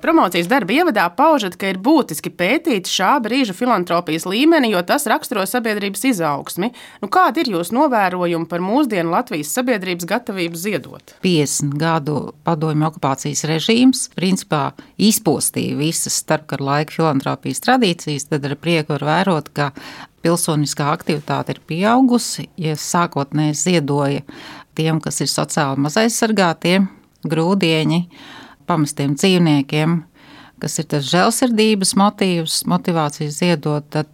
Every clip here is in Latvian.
Promocijas darba ievadā paužat, ka ir būtiski pētīt šā brīža filantropijas līmeni, jo tas raksturo sabiedrības izaugsmi. Kādi ir jūsu novērojumi par mūsdienu Latvijas sabiedrības gatavību ziedot? 50 gadu padomju okupācijas režīms principā izpostīja visas starpkara laika filantropijas tradīcijas, tad ar prieku var vērot, ka pilsoniskā aktivitāte ir pieaugusi, ja sākotnēji ziedoja tiem, kas ir sociāli mazaizsargātie, grūdieņi, pamestiem dzīvniekiem, kas ir tas žēlsirdības motīvs, motivācija ziedot, tad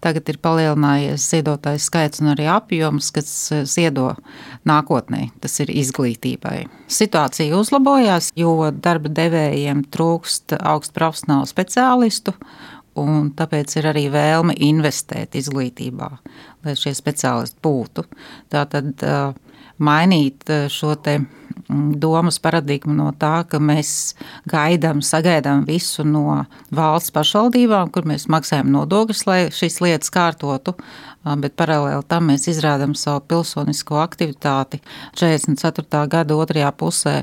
tagad ir palielinājies ziedotāju skaits un arī apjoms, kas ziedo nākotnē, tas ir izglītībai. Situācija uzlabojās, jo darba devējiem trūkst augstu profesionālu speciālistu, un tāpēc ir arī vēlme investēt izglītībā, lai šie speciālisti būtu. Tātad mainīt šo te domas paradigmu no tā, ka mēs sagaidām visu no valsts pašvaldībām, kur mēs maksājam nodokļus, lai šīs lietas kārtotu, bet paralēli tam mēs izrādām savu pilsonisko aktivitāti. 44. gada otrajā pusē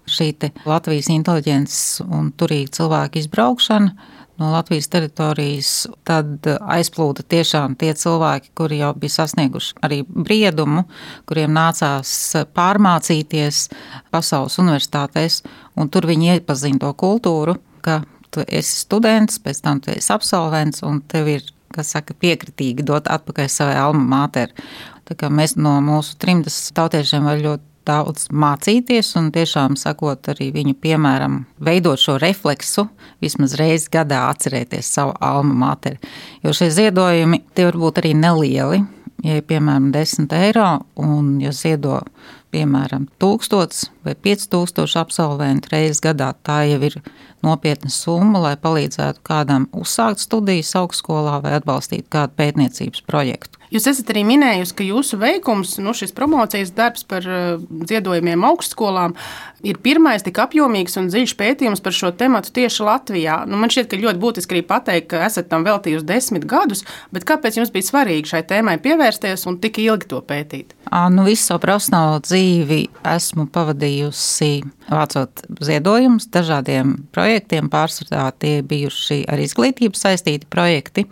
šī te Latvijas inteliģences un turīgi cilvēku izbraukšana no Latvijas teritorijas, tad aizplūda tiešām tie cilvēki, kuri jau bija sasnieguši arī briedumu, kuriem nācās pārmācīties pasaules universitātēs, un tur viņi iepazina to kultūru, ka tu esi students, pēc tam tu esi absolvents, un tev ir, piekritīgi dot atpakaļ savai alma mater. Tā kā mēs no mūsu trimdas tautiešiem var ļoti daudz mācīties un tiešām sakot arī viņu piemēram veidot šo refleksu, vismaz reizi gadā atcerēties savu alma materi. Jo šie ziedojumi tie var būt arī nelieli, ja piemēram 10 eiro un ja ziedo piemēram 1000 vai 5000 absolventu reizes gadā, tā jau ir nopietna summa, lai palīdzētu kādam uzsākt studijas augstskolā vai atbalstīt kādu pētniecības projektu. Jūs esat arī minējusi, ka jūsu veikums, šis promocijas darbs par ziedojumiem augstskolām ir pirmais tik apjomīgs un dziļš pētījums par šo tematu tieši Latvijā. Man šķiet, ka ļoti būtiski arī pateikt, ka esat tam veltījusi 10 gadus, bet kāpēc jums bija svarīgi šai tēmai pievērsties un tik ilgi to pētīt? Visu savu profesionālo dzīvi esmu pavadījusi vācot ziedojumus dažādiem projektiem, pārsvarā tie bijuši ar izglītību saistīti projekti,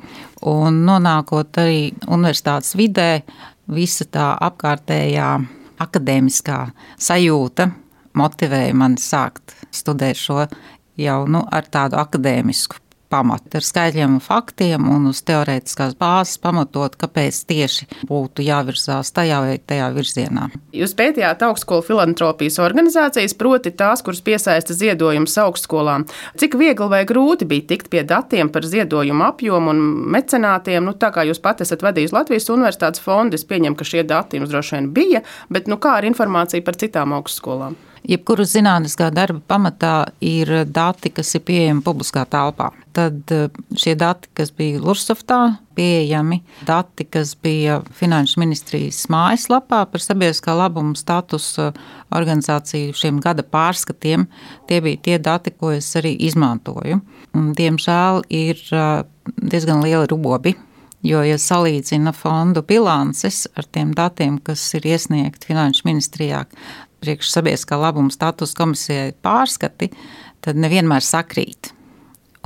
un nonākot arī universitātes vidē, visa tā apkārtējā akadēmiskā sajūta motivēja mani sākt studēt šo jau ar tādu akadēmisku pamatu, ar skaitļiem un faktiem un uz teorētiskās bāzes pamatot, kāpēc tieši būtu jāvirzās tajā vai tajā virzienā. Jūs pētījāt augstskolu filantropijas organizācijas, proti tās, kuras piesaista ziedojumus augstskolām. Cik viegli vai grūti bija tikt pie datiem par ziedojumu apjomu un mecenātiem? Tā kā jūs pat esat vadījis Latvijas Universitātes fondu, es pieņemu, ka šie dati jums droši vien bija, bet kā ar informāciju par citām augstskolām? Jebkuru zinātniskā darba pamatā ir dati, kas ir pieejami publiskā telpā. Tad šie dati, kas bija Lursoftā pieejami, dati, kas bija Finanšu ministrijas mājaslapā par sabiedriskā labuma statusu organizāciju šiem gada pārskatiem, tie bija tie dati, ko es arī izmantoju. Diemžēl ir diezgan lieli robi, jo, ja salīdzina fondu bilances ar tiem datiem, kas ir iesniegti Finanšu ministrijā, priekš sabiedriskā labuma status komisijai pārskati, tad nevienmēr sakrīt.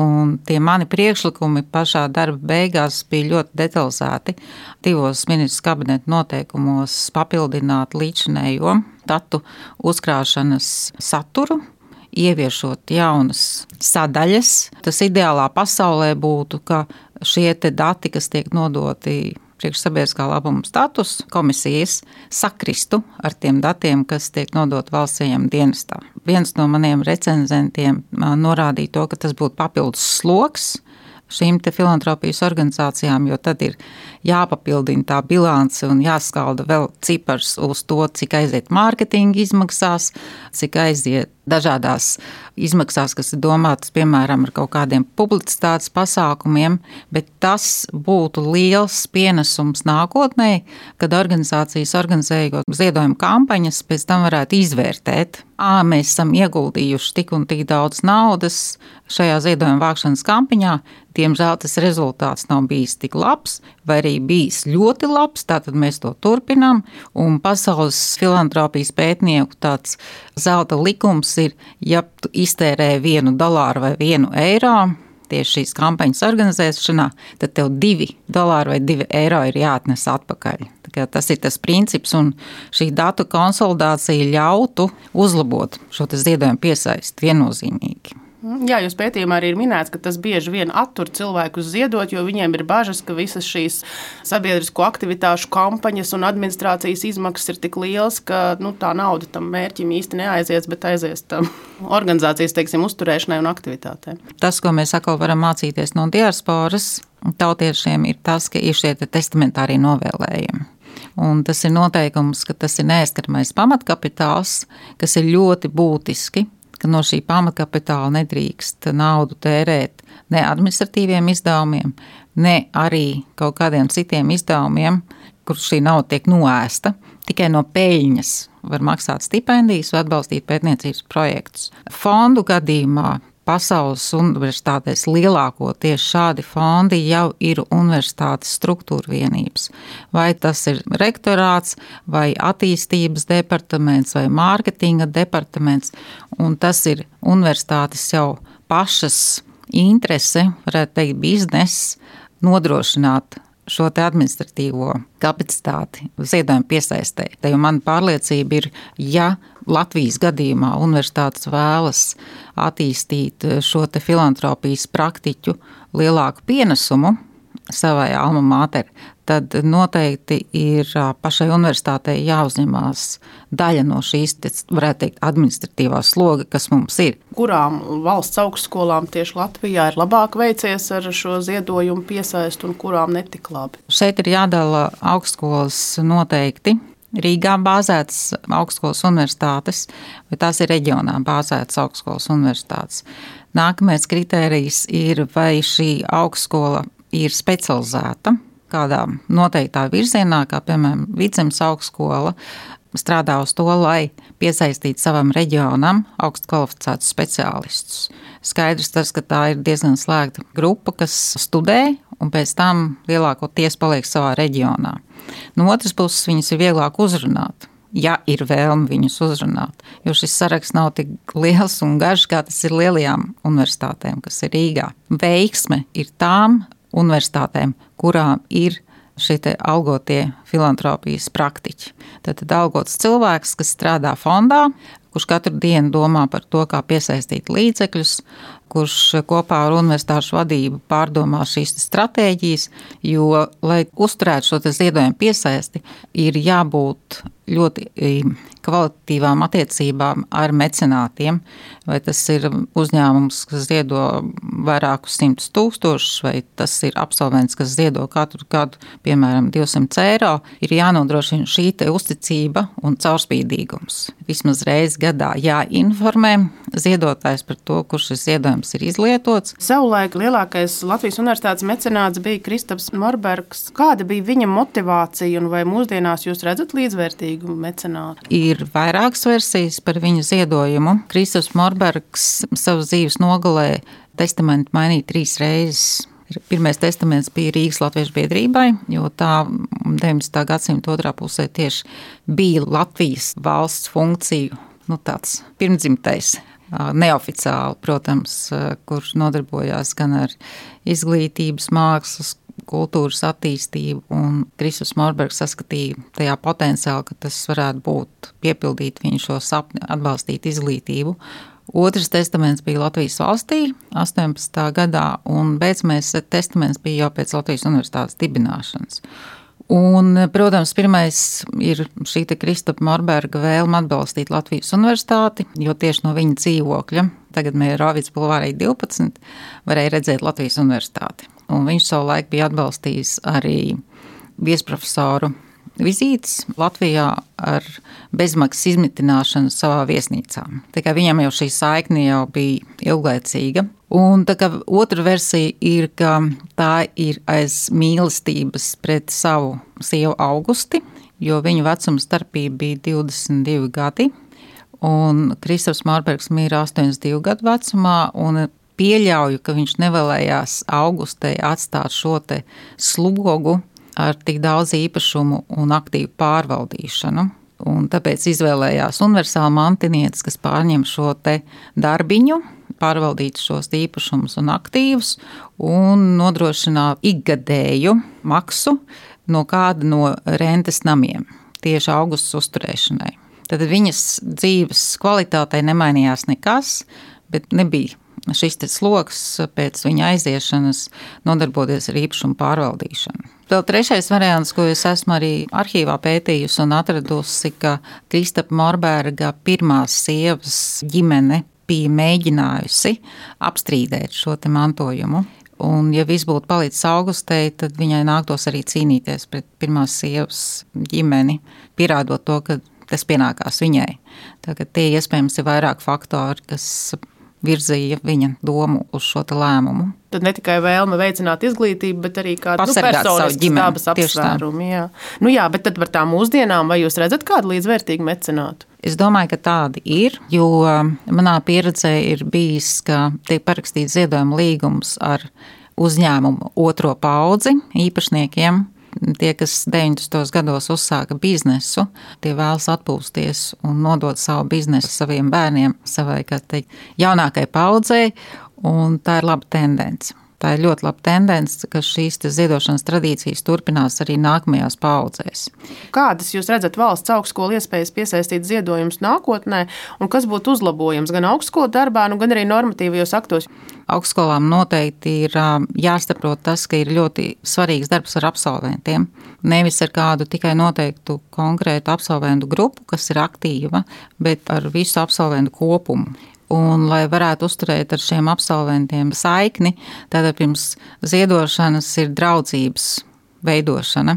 Un tie mani priekšlikumi pašā darba beigās bija ļoti detalizēti. 2 ministru kabineta noteikumos papildināt līdzinējo datu uzkrāšanas saturu, ieviešot jaunas sadaļas. Tas ideālā pasaulē būtu, ka šie te dati, kas tiek nodoti priekš sabiedriskā labuma status komisijas, sakristu ar tiem datiem, kas tiek nodot valsts ieņēmuma dienestā. Viens no maniem recenzentiem norādīja to, ka tas būtu papildus sloks šīm te filantropijas organizācijām, jo tad ir jāpapildina tā bilance un jāskalda vēl cipars uz to, cik aiziet mārketinga izmaksās, cik aiziet dažādās izmaksās, kas ir domātas, piemēram, ar kaut kādiem publicitātes pasākumiem, bet tas būtu liels pienesums nākotnē, kad organizācijas organizējot ziedojumu kampaņas, pēc tam varētu izvērtēt. Mēs esam ieguldījuši tik un tik daudz naudas šajā ziedojuma vākšanas kampaņā, diemžēl tas rezultāts nav bijis tik labs, vai arī bijis ļoti labs, tātad mēs to turpinām, un pasaules filantropijas pētnieku tāds zelta likums ir, ja tu iztērē $1 vai €1 tieši šīs kampaņas organizēšanā, tad tev $2 vai €2 ir jāatnes atpakaļ. Tas ir tas princips, un šī datu konsolidācija ļautu uzlabot šo ziedojumu piesaisti viennozīmīgi. Jā, jūs pētījumā arī ir minēts, ka tas bieži vien attur cilvēkus ziedot, jo viņiem ir bažas, ka visas šīs sabiedrisko aktivitāšu kampaņas un administrācijas izmaksas ir tik lielas, ka tā nauda tam mērķim īsti neaizies, bet aizies tam organizācijas, uzturēšanai un aktivitātēm. Tas, ko mēs atkal varam mācīties no diasporas tautiešiem, ir tas, ka ir šie testamentārie novēlējumi. Un tas ir noteikums, ka tas ir neaizskaramais pamatkapitāls, kas ir ļoti būtiski, ka no šī pamatkapitāla nedrīkst naudu tērēt ne administratīviem izdevumiem, ne arī kaut kādiem citiem izdevumiem, kur šī nauda tiek noēsta. Tikai no peļņas var maksāt stipendijas vai atbalstīt pētniecības projektus. Fondu gadījumā pasaules universitātēs lielākoties šādi fondi jau ir universitātes struktūra vienības. Vai tas ir rektorāts, vai attīstības departaments, vai mārketinga departaments, un tas ir universitātes jau pašas interese, varētu teikt, bizness, nodrošināt šo administratīvo kapacitāti ziedojumu piesaistē. Te jau mana pārliecība ir, ja Latvijas gadījumā universitātes vēlas attīstīt šo filantropijas praktiķu lielāku pienesumu savai alma mater, tad noteikti ir pašai universitātei jāuzņemās daļa no šīs, varētu teikt, administratīvā sloga, kas mums ir. Kurām valsts augstskolām tieši Latvijā ir labāk veicies ar šo ziedojumu piesaistu un kurām netik labi? Šeit ir jādala augstskolas noteikti. Rīgā bāzētas augstskolas universitātes, vai tās ir reģionā bāzētas augstskolas universitātes. Nākamais kritērijs ir, vai šī augstskola ir specializēta kādā noteiktā virzienā, kā piemēram Vidzemes augstskola, strādā uz to, lai piesaistītu savam reģionam augstu kvalificētus speciālistus. Skaidrs tas, ka tā ir diezgan slēgta grupa, kas studē un pēc tam lielākoties paliek savā reģionā. No otras puses viņas ir vieglāk uzrunāt, ja ir vēlme viņus uzrunāt, jo šis saraksts nav tik liels un garš, kā tas ir lielajām universitātēm, kas ir Rīgā. Veiksme ir tām universitātēm, kurām ir šie algotie filantropijas praktiķi. Tad algots cilvēks, kas strādā fondā, kurš katru dienu domā par to, kā piesaistīt līdzekļus, kurš kopā ar universitāšu vadību pārdomā šīs stratēģijas, jo, lai uzturētu šo ziedojumu piesaisti, ir jābūt ļoti kvalitatīvām attiecībām ar mecenātiem, vai tas ir uzņēmums, kas ziedo vairākus 100 000, vai tas ir absolvents, kas ziedo katru gadu, piemēram, €200, ir jānodrošina šī uzticība un caurspīdīgums. Vismaz reizi gadā jāinformē ziedotājs par to, kur šis ziedojums ir izlietots. Savulaik lielākais Latvijas universitātes mecenāts bija Kristaps Morbergs. Kāda bija viņa motivācija un vai mūsdienās jūs redzat līdzvērtīgu mecenātu? Ir vairākas versijas par viņa ziedojumu. Kristaps Morbergs savas dzīves nogalē testamentu mainīja 3 reizes. Pirmais testaments bija Rīgas Latviešu biedrībai, jo tā 19. gadsimta otrā pusē tieši bija Latvijas valsts funkciju, tāds pirmdzimtais, neoficiāli, protams, kurš nodarbojās gan ar izglītības, mākslas, kultūras attīstību, un Kristaps Morbergs saskatīja tajā potenciāli, ka tas varētu būt piepildīt viņu šo sapni, atbalstīt izglītību. Otrs testaments bija Latvijas valstī 18. gadā, un beidzamais testaments bija jau pēc Latvijas universitātes dibināšanas. Un, protams, pirmais ir šī Kristapa Morberga vēlme atbalstīt Latvijas universitāti, jo tieši no viņa dzīvokļa, tagad Mierovics bulvārī 12, varēja redzēt Latvijas universitāti. Un viņš savulaik bija atbalstījis arī viesprofesoru vizītes Latvijā ar bezmaksas izmitināšanu savā viesnīcā. Tā kā viņam jau šī saikne jau bija ilglaicīga. Un tā kā otra versija ir, ka tā ir aiz mīlestības pret savu sievu Augusti, jo viņu vecuma starpība bija 22 gadi, un Kristaps Morbergs mīra 82 gadu vecumā, un pieļauju, ka viņš nevēlējās Augustei atstāt šo slogu ar tik daudz īpašumu un aktīvu pārvaldīšanu. Un tāpēc izvēlējās universālu mantinietis, kas pārņem šo te darbiņu, pārvaldīt šos īpašumus un aktīvus un nodrošināt ikgadēju maksu no kāda no rentes namiem tieši augusta uzturēšanai. Tad viņas dzīves kvalitātei nemainījās nekas, bet nebija šis sloks pēc viņa aiziešanas nodarboties ar īpašumu pārvaldīšanu. Vēl trešais variants, ko es esmu arī arhīvā pētījusi un atradusi, ka Kristapa Morberga pirmās sievas ģimene bija mēģinājusi apstrīdēt šo te mantojumu. Un, ja viss būtu palicis Augustei, tad viņai nāktos arī cīnīties pret pirmās sievas ģimeni, pierādot to, ka tas pienākās viņai. Tagad tie iespējams ir vairāk faktori, kas virzīja viņa domu uz šo lēmumu. Tad ne tikai vēlme veicināt izglītību, bet arī kādu personiskas dabas apsvērumu. Jā, bet tad par tām mūsdienām, vai jūs redzat kādu līdzvērtīgu mecenātu? Es domāju, ka tādi ir, jo manā pieredzē ir bijis, ka tiek parakstīts ziedojuma līgums ar uzņēmumu otro paudzi īpašniekiem. Tie, kas 90. gados uzsāka biznesu, tie vēlas atpūsties un nodot savu biznesu saviem bērniem, savai, kā teikt, jaunākai paudzei, un tā ir laba tendence. Tā ir ļoti laba tendence, ka šīs ziedošanas tradīcijas turpinās arī nākamajās paudzēs. Kādas jūs redzat valsts augstskolu iespējas piesaistīt ziedojumus nākotnē, un kas būtu uzlabojams gan augstskolu darbā, gan arī normatīvajos aktos? Augstskolām noteikti ir jāsaprot tas, ka ir ļoti svarīgs darbs ar absolventiem. Nevis ar kādu tikai noteiktu konkrētu absolventu grupu, kas ir aktīva, bet ar visu absolventu kopumu. Un, lai varētu uzturēt ar šiem absolventiem saikni, tad pirms ziedošanas ir draudzības veidošana.